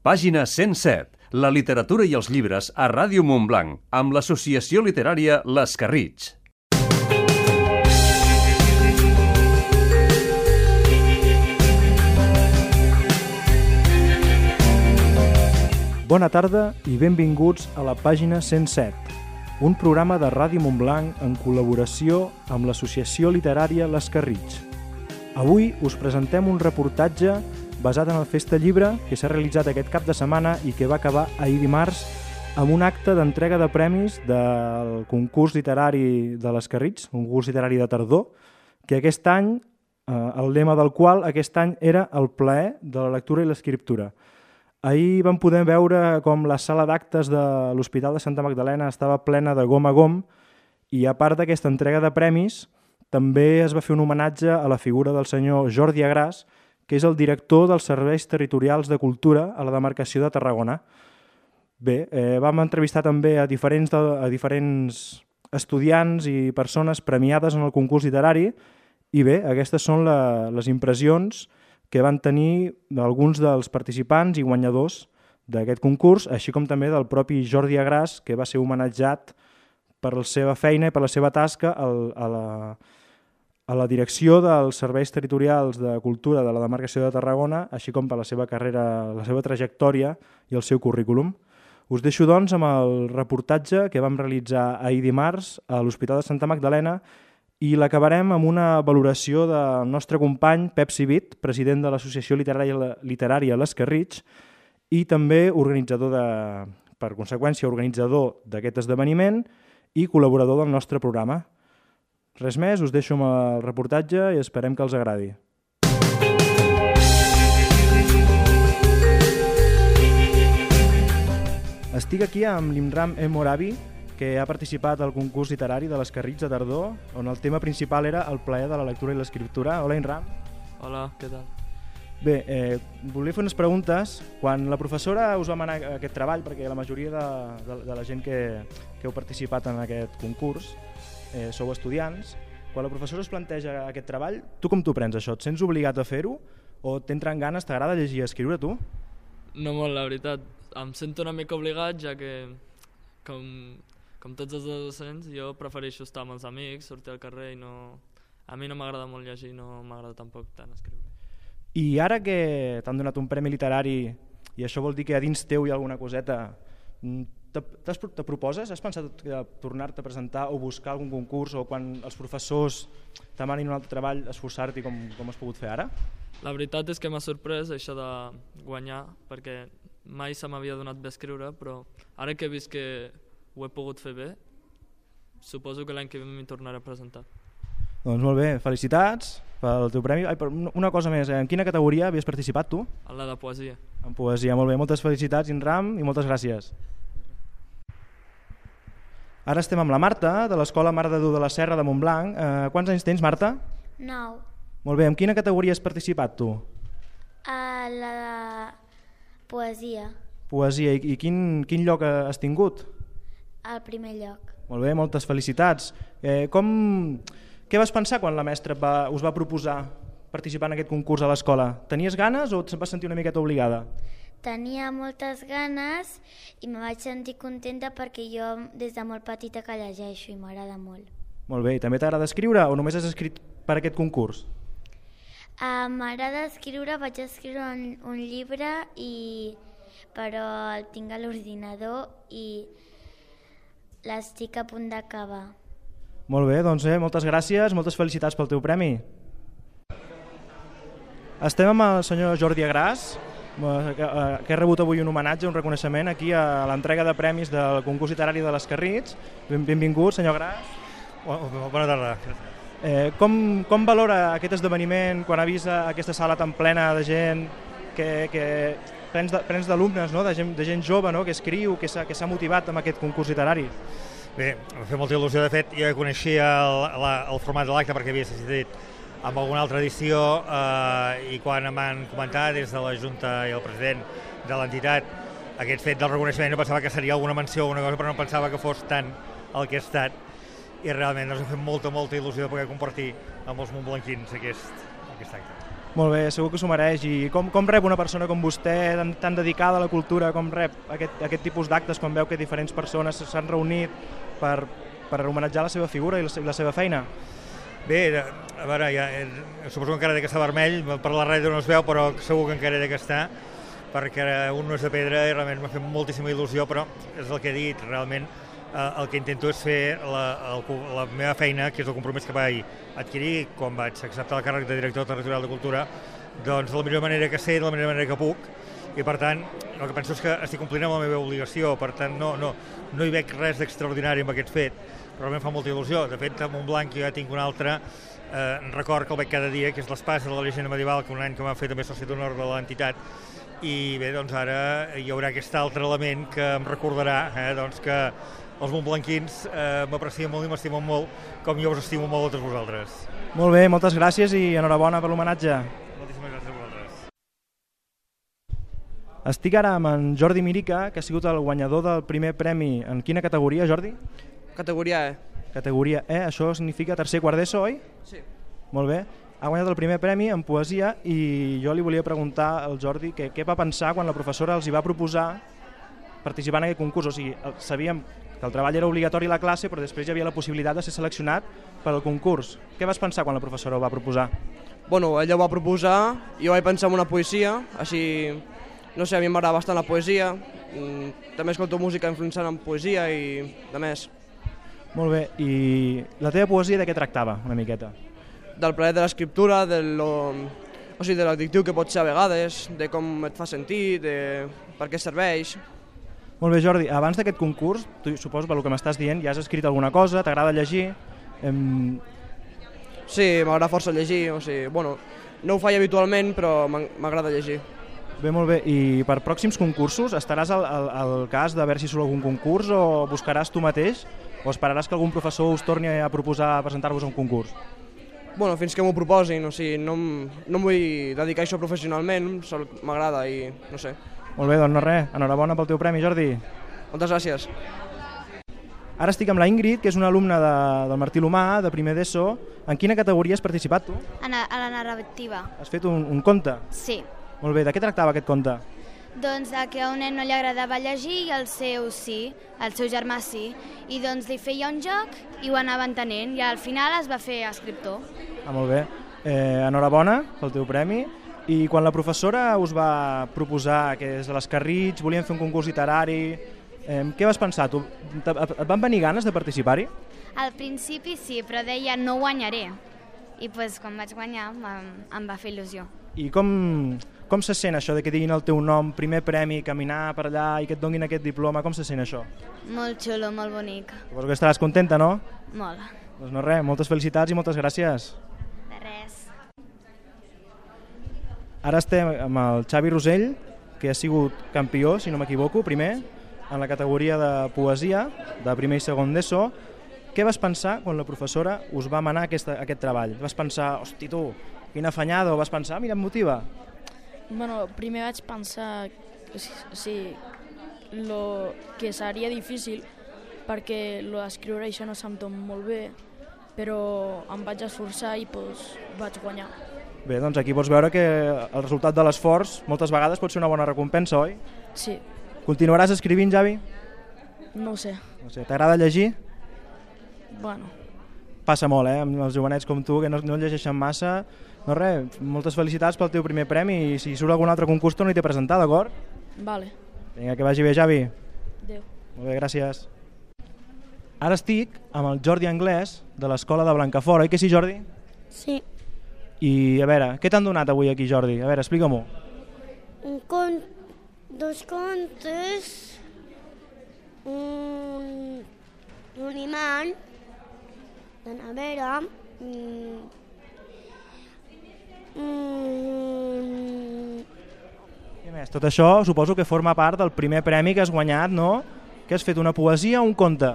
Pàgina 107. La literatura i els llibres a Ràdio Montblanc, amb l'Associació Literària l'Escarritx. Bona tarda i benvinguts a la Pàgina 107, un programa de Ràdio Montblanc en col·laboració amb l'Associació Literària l'Escarritx. Avui us presentem un reportatge basat en el Festa Llibre que s'ha realitzat aquest cap de setmana i que va acabar ahir dimarts amb un acte d'entrega de premis del concurs literari de l'Escarritx, un concurs literari de tardor, que aquest any, el lema del qual aquest any era el plaer de la lectura i l'escriptura. Ahir vam poder veure com la sala d'actes de l'Hospital de Santa Magdalena estava plena de gom a gom i a part d'aquesta entrega de premis també es va fer un homenatge a la figura del senyor Jordi Agràs, que és el director dels Serveis Territorials de Cultura a la demarcació de Tarragona. Bé, vam entrevistar també a diferents estudiants i persones premiades en el concurs literari i bé, aquestes són les impressions que van tenir alguns dels participants i guanyadors d'aquest concurs, així com també del propi Jordi Agràs, que va ser homenatjat per la seva feina i per la seva tasca a la direcció dels Serveis Territorials de Cultura de la demarcació de Tarragona, així com per la seva carrera, la seva trajectòria i el seu currículum. Us deixo, doncs, amb el reportatge que vam realitzar ahir dimarts a l'Hospital de Santa Magdalena i l'acabarem amb una valoració del nostre company Pep Civit, president de l'Associació Literària l'Escarritx i també per conseqüència organitzador d'aquest esdeveniment i col·laborador del nostre programa. Res més, us deixo amb el reportatge i esperem que els agradi. Estic aquí amb l'Imran Moravi, que ha participat al concurs literari de l'Escarritx de tardor, on el tema principal era el plaer de la lectura i l'escriptura. Hola, Imran. Hola, què tal? Bé, volia fer unes preguntes. Quan la professora us va manar aquest treball, perquè la majoria de la gent que heu participat en aquest concurs sou estudiants, quan la professora us planteja aquest treball, tu com t'ho prens això? Et sents obligat a fer-ho o t'entren ganes, t'agrada llegir i escriure tu? No molt, la veritat. Em sento una mica obligat, ja que com tots els docents, jo prefereixo estar amb els amics, sortir al carrer i no... A mi no m'agrada molt llegir, no m'agrada tampoc tant escriure. I ara que t'han donat un premi literari i això vol dir que a dins teu hi ha alguna coseta, te proposes? Has pensat tornar-te a presentar o buscar algun concurs o quan els professors demanin un altre treball esforçar-t'hi com has pogut fer ara? La veritat és que m'ha sorprès això de guanyar, perquè mai se m'havia donat bé escriure, però ara que he vist que ho he pogut fer bé, suposo que l'any que ve m'hi tornaré a presentar. Doncs molt bé, felicitats pel teu premi. Però una cosa més, en quina categoria havies participat tu? En la de poesia. En poesia, molt bé. Moltes felicitats, Imran, i moltes gràcies. Ara estem amb la Marta, de l'Escola Mare de Déu de la Serra de Montblanc. Quants anys tens, Marta? 9. Molt bé, en quina categoria has participat tu? A la de poesia. Poesia, i quin lloc has tingut? Al primer lloc. Molt bé, moltes felicitats. Què vas pensar quan la mestra us va proposar participar en aquest concurs a l'escola? Tenies ganes o et vas sentir una miqueta obligada? Tenia moltes ganes i me vaig sentir contenta perquè jo des de molt petita que llegeixo i m'agrada molt. Molt bé, i també t'agrada escriure o només has escrit per aquest concurs? M'agrada escriure, vaig escriure un llibre però el tinc a l'ordinador i l'estic a punt d'acabar. Molt bé, doncs moltes gràcies, moltes felicitats pel teu premi. Estem amb el senyor Jordi Agràs, que ha rebut avui un homenatge, un reconeixement aquí a l'entrega de premis del concurs literari de l'Escarritx. Benvingut, senyor Agràs. Bona tarda. Com valora aquest esdeveniment quan ha vist aquesta sala tan plena de gent, plens d'alumnes, de gent jove que escriu, que s'ha motivat amb aquest concurs literari? Bé, m'ha fet molta il·lusió. De fet, jo coneixia el format de l'acte perquè havia assistit amb alguna altra edició i quan em van comentar des de la Junta i el president de l'entitat aquest fet del reconeixement, jo pensava que seria alguna menció o alguna cosa, però no pensava que fos tant el que ha estat i realment ens ha fet molta il·lusió de poder compartir amb els montblanquins aquest acte. Molt bé, segur que s'ho mereix. I com rep una persona com vostè, tan dedicada a la cultura, com rep aquest tipus d'actes quan veu que diferents persones s'han reunit per homenatjar la seva figura i la seva feina? Bé, a veure, suposo que encara té que estar vermell, per la ràdio no es veu, però segur que encara té que estar, perquè un no és de pedra i realment m'ha fet moltíssima il·lusió, però és el que he dit, realment el que intento és fer la meva feina, que és el compromís que vaig adquirir quan vaig acceptar el càrrec de director territorial de cultura, doncs de la millor manera que sé, de la millor manera que puc, i per tant el que penso és que estic complint amb la meva obligació, per tant no hi veig res d'extraordinari amb aquest fet, però realment fa molta il·lusió. De fet, a Montblanc jo ja tinc un altre record que el veig cada dia, que és l'espasa de la llegenda medieval, que un any que m'ha fet també soci d'honor de l'entitat, i bé, doncs ara hi haurà aquest altre element que em recordarà doncs que els montblanquins m'aprecien molt i m'estimen molt, com jo us estimo molt a tots vosaltres. Molt bé, moltes gràcies i enhorabona per l'homenatge. Moltíssimes gràcies a vosaltres. Estic ara amb en Jordi Mirica, que ha sigut el guanyador del primer premi. En quina categoria, Jordi? Categoria E. Categoria E, això significa tercer quart d'ESO, oi? Sí. Molt bé. Ha guanyat el primer premi en poesia i jo li volia preguntar al Jordi què va pensar quan la professora els hi va proposar participar en aquest concurs. O sigui, sabíem que el treball era obligatori a la classe, però després hi havia la possibilitat de ser seleccionat per al concurs. Què vas pensar quan la professora ho va proposar? Bueno, ella ho va proposar, jo vaig pensar en una poesia, així, no sé, a mi m'agrada bastant la poesia, també escolto música influenciant en poesia i de més. Molt bé, i la teva poesia de què tractava una miqueta? Del plaer de l'escriptura, de l'addictiu que pot ser a vegades, de com et fa sentir, de per què serveix. Molt bé, Jordi, abans d'aquest concurs, tu suposo pel que m'estàs dient, ja has escrit alguna cosa, t'agrada llegir? Sí, m'agrada força llegir, no ho faig habitualment, però m'agrada llegir. Bé, molt bé, i per pròxims concursos estaràs al cas de veure si surt algun concurs o buscaràs tu mateix o esperaràs que algun professor us torni a proposar presentar-vos a un concurs? Bueno, fins que m'ho proposin, no em vull dedicar a això professionalment, m'agrada i no sé. Molt bé, doncs no res, enhorabona pel teu premi, Jordi. Moltes gràcies. Ara estic amb la Ingrid, que és una alumna del Martí l'Humà, de primer d'ESO. En quina categoria has participat tu? A la narrativa. Has fet un conte? Sí. Molt bé, de què tractava aquest conte? Doncs que a un nen no li agradava llegir i el seu sí, el seu germà sí, i doncs li feia un joc i ho anava entenent i al final es va fer escriptor. Molt bé, enhorabona pel teu premi. I quan la professora us va proposar que des de l'Escarritx volien fer un concurs literari, què vas pensar tu? Et van venir ganes de participar-hi? Al principi sí, però deia no guanyaré i doncs, quan vaig guanyar em va fer il·lusió. I com se sent això de que diguin el teu nom, primer premi, caminar per allà i que et donin aquest diploma, com se sent això? Molt xulo, molt bonic. Suposo que estaràs contenta, no? Molt. Doncs no res, moltes felicitats i moltes gràcies. De res. Ara estem amb el Xavi Rosell, que ha sigut campió, si no m'equivoco, primer, en la categoria de poesia, de primer i segon d'ESO. Què vas pensar quan la professora us va manar aquest treball? Vas pensar, hosti tu, quina afanyada, o vas pensar, mira, em motiva? Bueno, primer vaig pensar que seria difícil perquè l'escriure això no se'm dona molt bé, però em vaig esforçar i vaig guanyar. Bé, doncs aquí pots veure que el resultat de l'esforç moltes vegades pot ser una bona recompensa, oi? Sí. Continuaràs escrivint, Javi? No ho sé. No sé, t'agrada llegir? Bueno. Passa molt, amb els jovenets com tu, que no llegeixen massa. No res, moltes felicitats pel teu primer premi i si surt algun altre concurs torna-hi a presentar, d'acord? Vale. Vinga, que vagi bé, Javi. Adéu. Molt bé, gràcies. Ara estic amb el Jordi Anglès, de l'escola de Blancafort, oi que sí, Jordi? Sí. I a veure, què t'han donat avui aquí, Jordi? A veure, explica-m'ho. Dos contes, un imant de nevera, Què més? Tot això suposo que forma part del primer premi que has guanyat, no? Que has fet una poesia o un conte?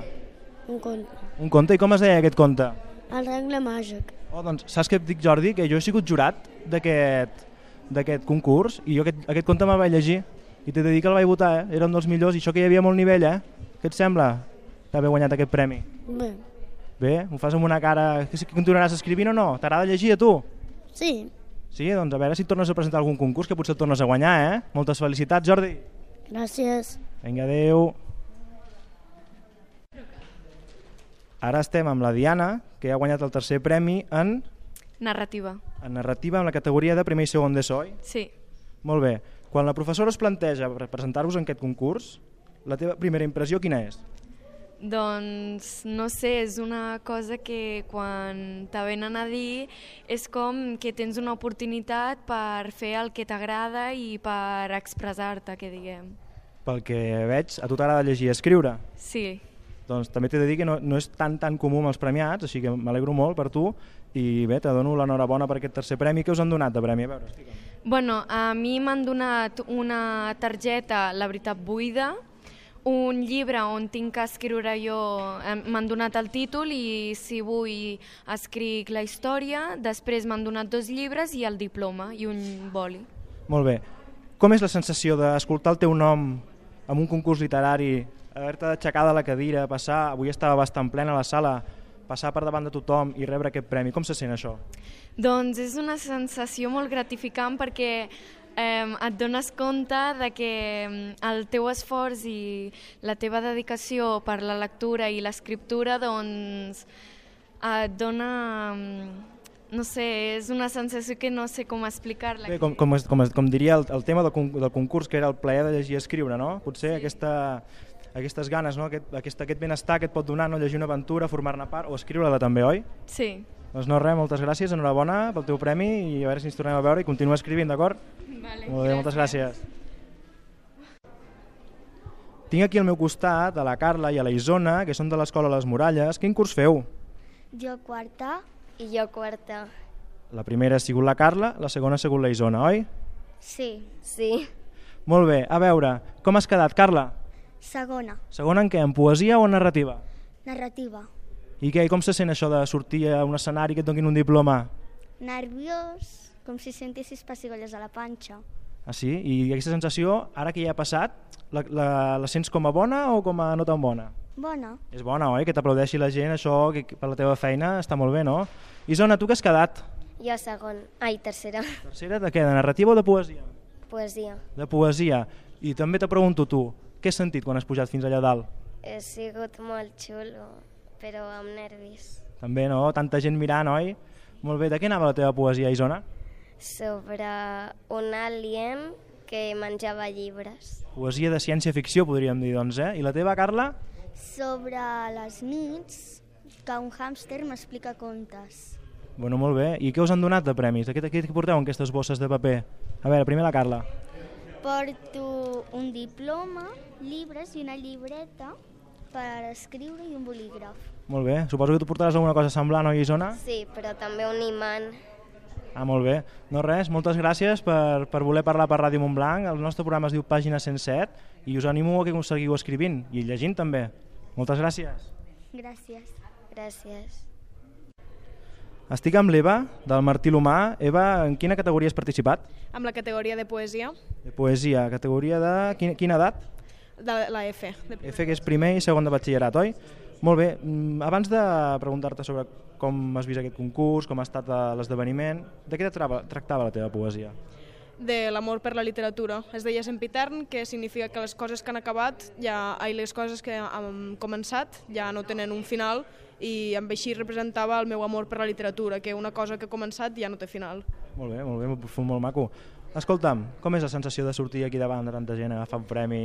Un conte. Un conte? I com es deia aquest conte? El regle màgic. Oh, doncs saps què et dic, Jordi? Que jo he sigut jurat d'aquest concurs i jo aquest conte me'l vaig llegir i t'he de dir que el vaig votar, era un dels millors i això que hi havia molt nivell, Què et sembla d'haver guanyat aquest premi? Bé. Bé? Ho fas amb una cara... Que continuaràs escrivint o no? T'agrada llegir a tu? Sí. Sí, doncs a veure si et tornes a presentar algun concurs, que potser et tornes a guanyar, eh? Moltes felicitats, Jordi. Gràcies. Vinga, adeu. Ara estem amb la Diana, que ha guanyat el tercer premi en Narrativa. narrativa, en la categoria de primer i segon d'ESO, oi? Sí. Molt bé. Quan la professora us planteja presentar-vos en aquest concurs, la teva primera impressió quina és? Doncs no sé, és una cosa que quan te venen a dir és com que tens una oportunitat per fer el que t'agrada i per expressar-te, que diguem. Pel que veig, a tu t'agrada llegir i escriure. Sí. Doncs també t'he de dir que no és tan comú amb els premiats, així que m'alegro molt per tu i bé, te dono l'enhorabona per aquest tercer premi. Què us han donat de premi? A veure, explica'm. Bueno, a mi m'han donat una targeta, La veritat buida, un llibre on tinc que escriure jo, m'han donat el títol i si vull escric la història, després m'han donat 2 llibres i el diploma i un boli. Molt bé. Com és la sensació d'escoltar el teu nom en un concurs literari, haver-te d'aixecar de la cadira, passar, avui estava bastant plena la sala, passar per davant de tothom i rebre aquest premi? Com se sent això? Doncs és una sensació molt gratificant perquè et dones compte de que el teu esforç i la teva dedicació per la lectura i l'escriptura doncs et dona, no sé, és una sensació que no sé com explicar-la. Bé, com diria el tema del concurs, que era el plaer de llegir i escriure, no? Potser sí. Aquestes ganes, no? aquest benestar que et pot donar, no? Llegir una aventura, formar-ne part o escriure-la també, oi? Sí. Doncs no res, moltes gràcies, enhorabona pel teu premi i a veure si ens tornem a veure i continua escrivint, d'acord? Vale, molt bé, moltes gràcies. Tinc aquí al meu costat a la Carla i a la Isona, que són de l'Escola Les Muralles. Quin curs feu? Jo quarta. I jo quarta. La primera ha sigut la Carla, la segona ha sigut la Isona, oi? Sí. Sí. Molt bé, a veure, com has quedat, Carla? Segona. Segona en què, en poesia o en narrativa? Narrativa. I què, com se sent això de sortir a un escenari que et donin un diploma? Nerviós, com si sentissis pessigolles a la panxa. Ah, sí? I aquesta sensació, ara que ja ha passat, la sents com a bona o com a no tan bona? Bona. És bona, oi? Que t'aplaudeixi la gent, això, que per la teva feina està molt bé, no? Isona, tu què has quedat? Jo tercera. Tercera de què? De narrativa o de poesia? Poesia. De poesia. I també te pregunto tu, què has sentit quan has pujat fins allà dalt? Ha sigut molt xulo, però amb nervis. També, no? Tanta gent mirant, oi? Molt bé, de què anava la teva poesia, Isona? Sobre un alien que menjava llibres. Poesia de ciència-ficció, podríem dir, doncs, eh? I la teva, Carla? Sobre les nits, que un hàmster m'explica contes. Bueno, molt bé. I què us han donat de premis? Què porteu en aquestes bosses de paper? A veure, primer la Carla. Porto un diploma, llibres i una llibreta per escriure i un bolígraf. Molt bé. Suposo que tu portaràs alguna cosa semblant, oi, Isona? Sí, però també un imant. Ah, molt bé. No res, moltes gràcies per voler parlar per Ràdio Montblanc. El nostre programa es diu Pàgina 107 i us animo a que seguiu escrivint i llegint també. Moltes gràcies. Gràcies. Gràcies. Estic amb l'Eva, del Martí l'Humà. Eva, en quina categoria has participat? Amb la categoria de poesia. De poesia. Categoria de quina edat? De la F. F, que és primer i segon de batxillerat, oi? Molt bé. Abans de preguntar-te sobre com has vist aquest concurs, com ha estat l'esdeveniment, de què tractava la teva poesia? De l'amor per la literatura. Es deia sempitern, que significa que les coses que han acabat, les coses que han començat ja no tenen un final, i amb així representava el meu amor per la literatura, que una cosa que ha començat ja no té final. Molt bé, molt profund, molt maco. Escolta'm, com és la sensació de sortir aquí davant de tanta gent a agafar un premi?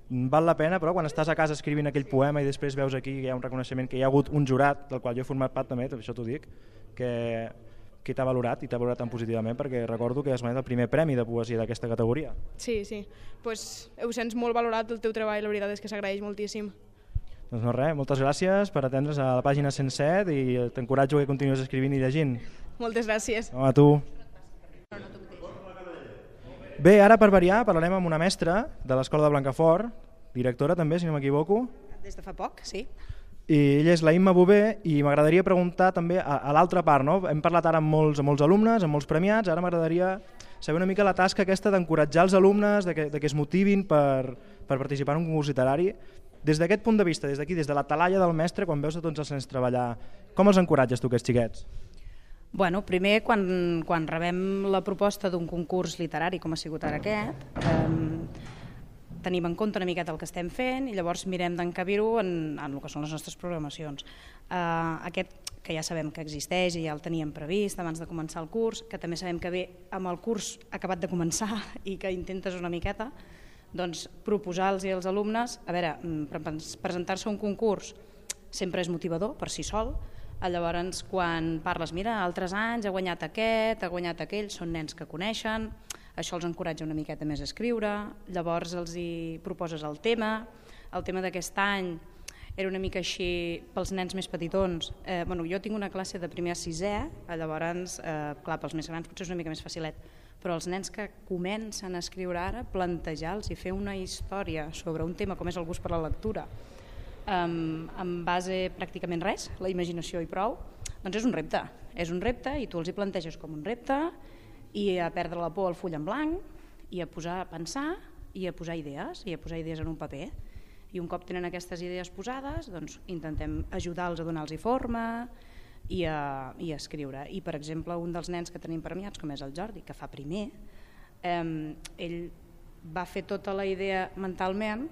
Val la pena, però quan estàs a casa escrivint aquell poema i després veus aquí que hi ha un reconeixement, que hi ha hagut un jurat, del qual jo he format part també, això t'ho dic, que t'ha valorat i t'ha valorat tan positivament, perquè recordo que has guanyat el primer premi de poesia d'aquesta categoria. Sí, pues ho sents molt valorat el teu treball, la veritat és que s'agraeix moltíssim. Doncs no res, moltes gràcies per atendre's a la pàgina 107 i t'encoratjo que continuïs escrivint i llegint. Moltes gràcies. A tu. Bé, ara per variar parlarem amb una mestra de l'Escola de Blancafort, directora també, si no m'equivoco. Des de fa poc, sí. I ella és la Imma Bové i m'agradaria preguntar també a l'altra part, no? Hem parlat ara amb molts alumnes, amb molts premiats, ara m'agradaria saber una mica la tasca aquesta d'encoratjar els alumnes, de que es motivin per participar en un concurs literari. Des d'aquest punt de vista, des d'aquí, des de la talaia del mestre, quan veus a tots els nens treballar, com els encoratges tu, aquests xiquets? Bueno, primer, quan rebem la proposta d'un concurs literari, com ha sigut ara aquest, tenim en compte una miqueta el que estem fent i llavors mirem d'encabir-ho en el que són les nostres programacions. Aquest, que ja sabem que existeix i ja el teníem previst abans de començar el curs, que també sabem que ve amb el curs acabat de començar i que intentes una miqueta, doncs proposar-los als alumnes, a veure, presentar-se a un concurs sempre és motivador per si sol. Llavors, quan parles, mira, altres anys ha guanyat aquest, ha guanyat aquell, són nens que coneixen, això els encoratja una miqueta més a escriure, llavors els hi proposes el tema d'aquest any era una mica així pels nens més petitons. Jo tinc una classe de primer a sisè, llavors, clar, pels més grans potser és una mica més facilet, però els nens que comencen a escriure ara, plantejar-los i fer una història sobre un tema com és el gust per la lectura, en base pràcticament res, la imaginació i prou, doncs és un repte i tu els hi planteges com un repte i a perdre la por al full en blanc i a posar a pensar i a posar idees en un paper. I un cop tenen aquestes idees posades, doncs intentem ajudar-los a donar-los forma i a escriure. I, per exemple, un dels nens que tenim premiats, com és el Jordi, que fa primer, ell va fer tota la idea mentalment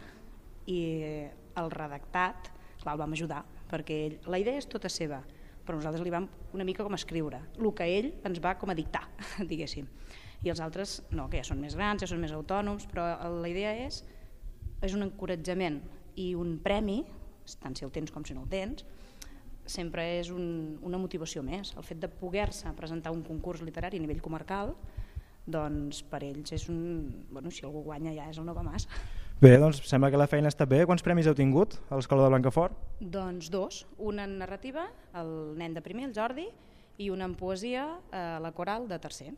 i el redactat, clar, el vam ajudar, perquè la idea és tota seva, però nosaltres li vam una mica com escriure, el que ell ens va com a dictar, diguéssim. I els altres no, que ja són més grans, ja són més autònoms, però la idea és un encoratjament i un premi, tant si el tens com si no el tens, sempre és una motivació més. El fet de poder-se presentar un concurs literari a nivell comarcal, doncs per ells és si algú guanya ja és el no va més. Bé, doncs sembla que la feina està bé. Quants premis heu tingut a l'Escola de Blancafort? Doncs 2, un en narrativa, el nen de primer, el Jordi, i un en poesia, la coral de tercer.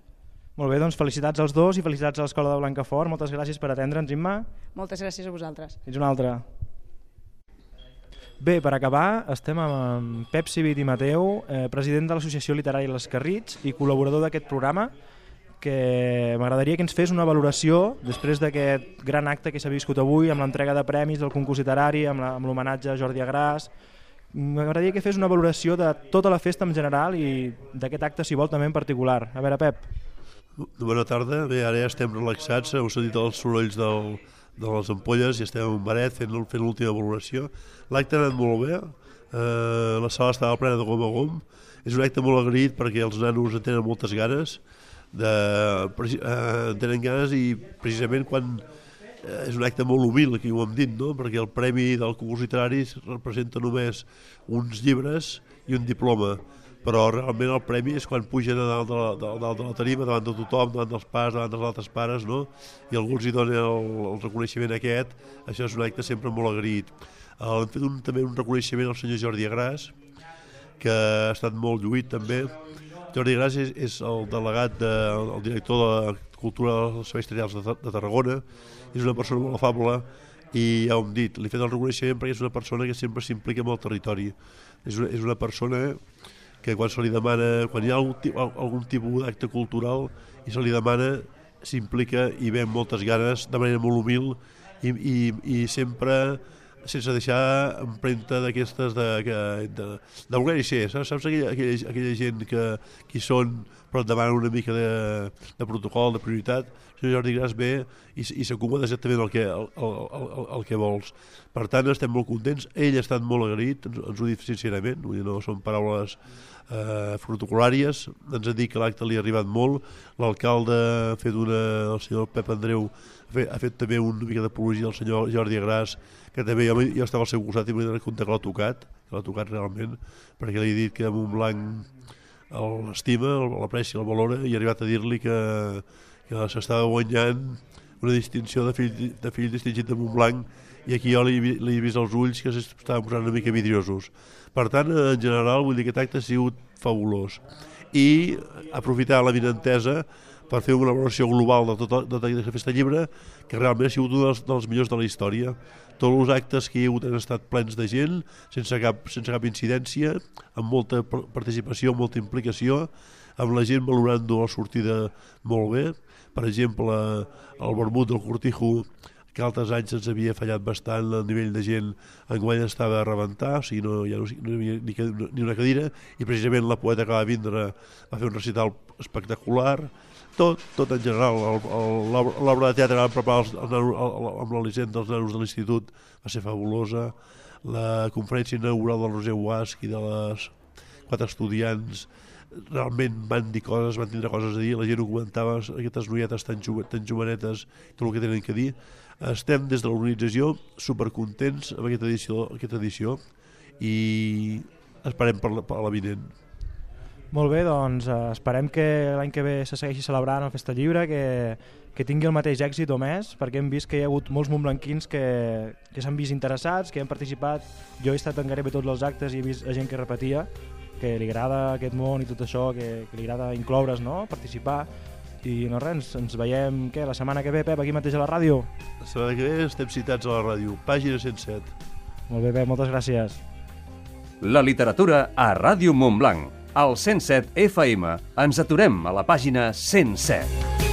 Molt bé, doncs felicitats als dos i felicitats a l'Escola de Blancafort. Moltes gràcies per atendre'ns, Imma. Moltes gràcies a vosaltres. Fins una altra. Bé, per acabar, estem amb Pep Civit i Mateu, president de l'Associació Literària Les Carrits i col·laborador d'aquest programa, que m'agradaria que ens fes una valoració després d'aquest gran acte que s'ha viscut avui amb l'entrega de premis del concurs literari, amb l'homenatge a Jordi Agràs. M'agradaria que fes una valoració de tota la festa en general i d'aquest acte, si vol, també en particular. A veure, Pep. Bona tarda. Bé, ara ja estem relaxats, heu sentit els sorolls de les ampolles i estem en un baret fent l'última valoració. L'acte ha anat molt bé, la sala estava plena de gom a gom. És un acte molt agraït perquè els nanos en tenen moltes ganes, i precisament quan és un acte molt humil, aquí ho hem dit, no? Perquè el premi del concurs literari representa només uns llibres i un diploma, però realment el premi és quan pugen a dalt de la tarima, davant de tothom, davant dels pares, davant dels altres pares, no? I algú els hi dona el reconeixement aquest. Això és un acte sempre molt agraït. Hem fet també un reconeixement al senyor Jordi Agràs, que ha estat molt lluït també. Jordi Agràs és el delegat, el director de la Cultura dels Serveis Territorials de Tarragona. És una persona molt afable i ja ho hem dit, li he fet el reconeixement perquè és una persona que sempre s'implica amb el territori. És una persona que quan se li demana, quan hi ha algun tipus d'acte cultural i se li demana, s'implica i ve amb moltes ganes, de manera molt humil i sempre sense deixar empremta d'aquestes de voler-hi ser. Saps aquella gent que hi són però et demanen una mica de protocol, de prioritat? El senyor Jordi Agràs ve i s'acomoda exactament el que vols. Per tant, estem molt contents. Ell ha estat molt agraït, ens ho dit sincerament, no són paraules protocolàries. Ens ha dit que l'acte li ha arribat molt. L'alcalde ha fet el senyor Pep Andreu ha fet també una mica d'apologia del senyor Jordi Agràs, que també jo estava al seu costat i m'he compte que l'ha tocat realment, perquè li he dit que Montblanc l'estima, l'aprecia, el valora, i he arribat a dir-li que s'estava guanyant una distinció de fill distingit de Montblanc, i aquí jo li he vist els ulls que s'estaven posant una mica vidriosos. Per tant, en general, vull dir que aquest acte ha sigut fabulós. I aprofitar la vinentesa per fer una valoració global de tota aquesta festa llibre, que realment ha sigut un dels millors de la història. Tots els actes que hi ha hagut han estat plens de gent, sense cap incidència, amb molta participació, molta implicació, amb la gent valorant la sortida molt bé. Per exemple, el vermut del Cortijo, que altres anys ens havia fallat bastant el nivell de gent. Enguany estava a rebentar, o sigui, no hi havia ni una cadira, i precisament la poeta que va vindre va fer un recital espectacular. Tot en general, l'obra de teatre que van preparar amb l'Elisenda dels nanos de l'institut va ser fabulosa. La conferència inaugural del Roser Guasc i de les 4 estudiants realment van dir coses, van tindre coses a dir, la gent ho comentava, aquestes noietes tan jovenetes, tot el que tenen que dir. Estem des de l'organització supercontents amb aquesta edició i esperem per l'avinent. Molt bé, doncs esperem que l'any que ve se segueixi celebrant el Festa Lliure, que tingui el mateix èxit o més, perquè hem vist que hi ha hagut molts montblanquins que s'han vist interessats, que han participat. Jo he estat en gairebé tots els actes i he vist gent que repetia, que li agrada aquest món i tot això, que li agrada incloure's, no? Participar. I no res, ens veiem la setmana que ve, Pep, aquí mateix a la ràdio. La setmana que ve estem citats a la ràdio, pàgina 107. Molt bé, Pep, moltes gràcies. La literatura a Ràdio Montblanc, al 107 FM. Ens aturem a la pàgina 107.